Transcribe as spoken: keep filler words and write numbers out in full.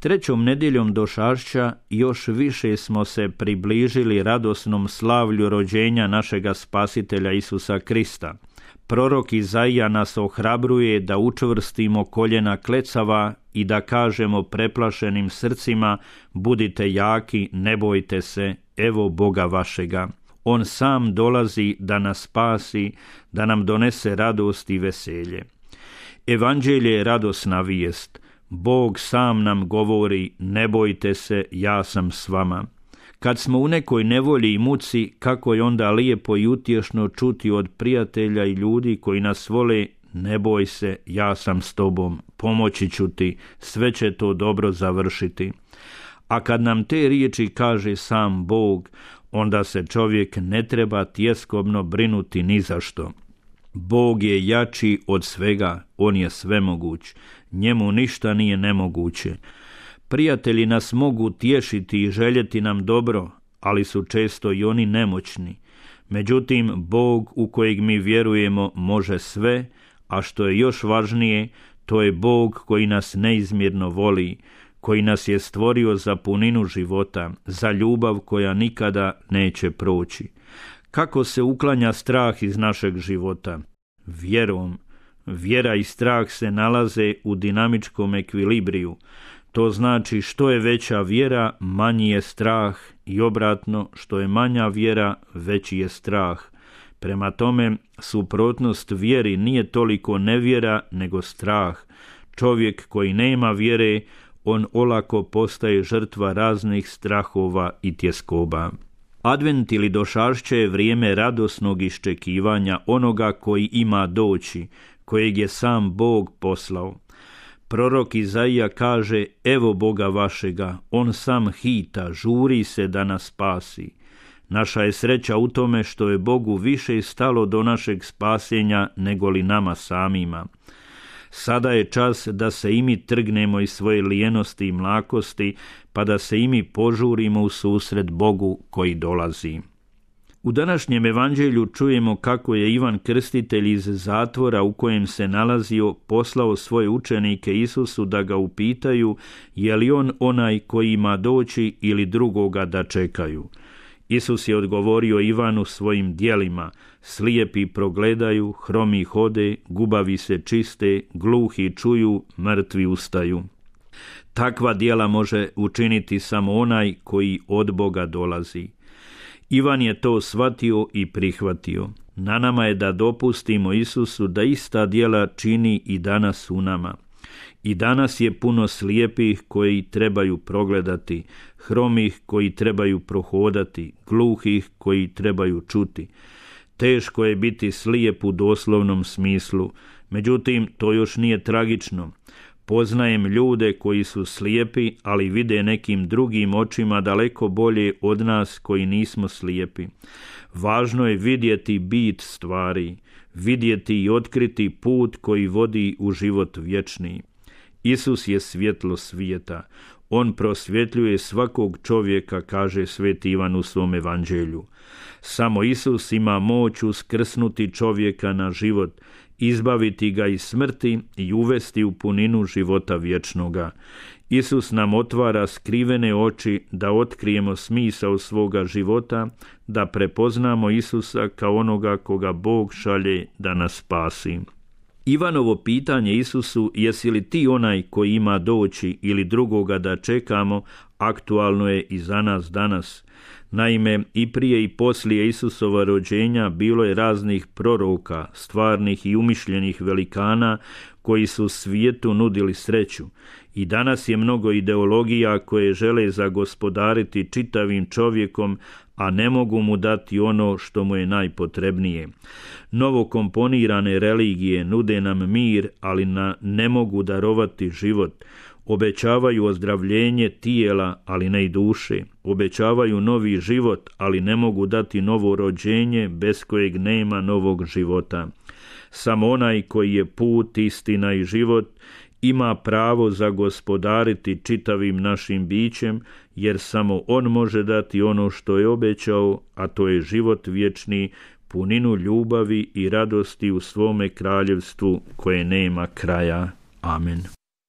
Trećom nedjeljom došašća još više smo se približili radosnom slavlju rođenja našega Spasitelja Isusa Krista. Prorok Izaija nas ohrabruje da učvrstimo koljena klecava i da kažemo preplašenim srcima: budite jaki, ne bojte se, evo Boga vašega. On sam dolazi da nas spasi, da nam donese radost i veselje. Evanđelje je radosna vijest. Bog sam nam govori: ne bojte se, ja sam s vama. Kad smo u nekoj nevolji i muci, kako je onda lijepo i utješno čuti od prijatelja i ljudi koji nas vole: ne boj se, ja sam s tobom, pomoći ću ti, sve će to dobro završiti. A kad nam te riječi kaže sam Bog, onda se čovjek ne treba tjeskobno brinuti ni za što. Bog je jači od svega, on je svemoguć, njemu ništa nije nemoguće. Prijatelji nas mogu tješiti i željeti nam dobro, ali su često i oni nemoćni. Međutim, Bog u kojeg mi vjerujemo može sve, a što je još važnije, to je Bog koji nas neizmjerno voli, koji nas je stvorio za puninu života, za ljubav koja nikada neće proći. Kako se uklanja strah iz našeg života? Vjerom. Vjera i strah se nalaze u dinamičkom ekvilibriju. To znači što je veća vjera, manji je strah, i obratno, što je manja vjera, veći je strah. Prema tome, suprotnost vjeri nije toliko nevjera, nego strah. Čovjek koji nema vjere, on olako postaje žrtva raznih strahova i tjeskoba. Advent ili došašće je vrijeme radosnog iščekivanja onoga koji ima doći, kojeg je sam Bog poslao. Prorok Izaija kaže: evo Boga vašega, on sam hita, žuri se da nas spasi. Naša je sreća u tome što je Bogu više stalo do našeg spasenja nego li nama samima. Sada je čas da se i mi trgnemo iz svoje lijenosti i mlakosti, pa da se i mi požurimo u susret Bogu koji dolazi. U današnjem evanđelju čujemo kako je Ivan Krstitelj iz zatvora u kojem se nalazio poslao svoje učenike Isusu da ga upitaju je li on onaj koji ima doći ili drugoga da čekaju. Isus je odgovorio Ivanu svojim djelima: slijepi progledaju, hromi hode, gubavi se čiste, gluhi čuju, mrtvi ustaju. Takva djela može učiniti samo onaj koji od Boga dolazi. Ivan je to shvatio i prihvatio. Na nama je da dopustimo Isusu da ista djela čini i danas u nama. I danas je puno slijepih koji trebaju progledati, hromih koji trebaju prohodati, gluhih koji trebaju čuti. Teško je biti slijep u doslovnom smislu, međutim to još nije tragično. Poznajem ljude koji su slijepi, ali vide nekim drugim očima daleko bolje od nas koji nismo slijepi. Važno je vidjeti bit stvari, vidjeti i otkriti put koji vodi u život vječni. Isus je svjetlo svijeta. On prosvjetljuje svakog čovjeka, kaže sveti Ivan u svom evanđelju. Samo Isus ima moć uskrsnuti čovjeka na život, izbaviti ga iz smrti i uvesti u puninu života vječnoga. Isus nam otvara skrivene oči da otkrijemo smisao svoga života, da prepoznamo Isusa kao onoga koga Bog šalje da nas spasi. Ivanovo pitanje Isusu, jesi li ti onaj koji ima doći ili drugoga da čekamo, aktualno je i za nas danas. Naime, i prije i poslije Isusova rođenja bilo je raznih proroka, stvarnih i umišljenih velikana koji su svijetu nudili sreću. I danas je mnogo ideologija koje žele zagospodariti čitavim čovjekom, a ne mogu mu dati ono što mu je najpotrebnije. Novo komponirane religije nude nam mir, ali na ne mogu darovati život. Obećavaju ozdravljenje tijela, ali ne i duše. Obećavaju novi život, ali ne mogu dati novo rođenje bez kojeg nema novog života. Samo onaj koji je put, istina i život ima pravo zagospodariti čitavim našim bićem, jer samo on može dati ono što je obećao, a to je život vječni, puninu ljubavi i radosti u svome kraljevstvu koje nema kraja. Amen.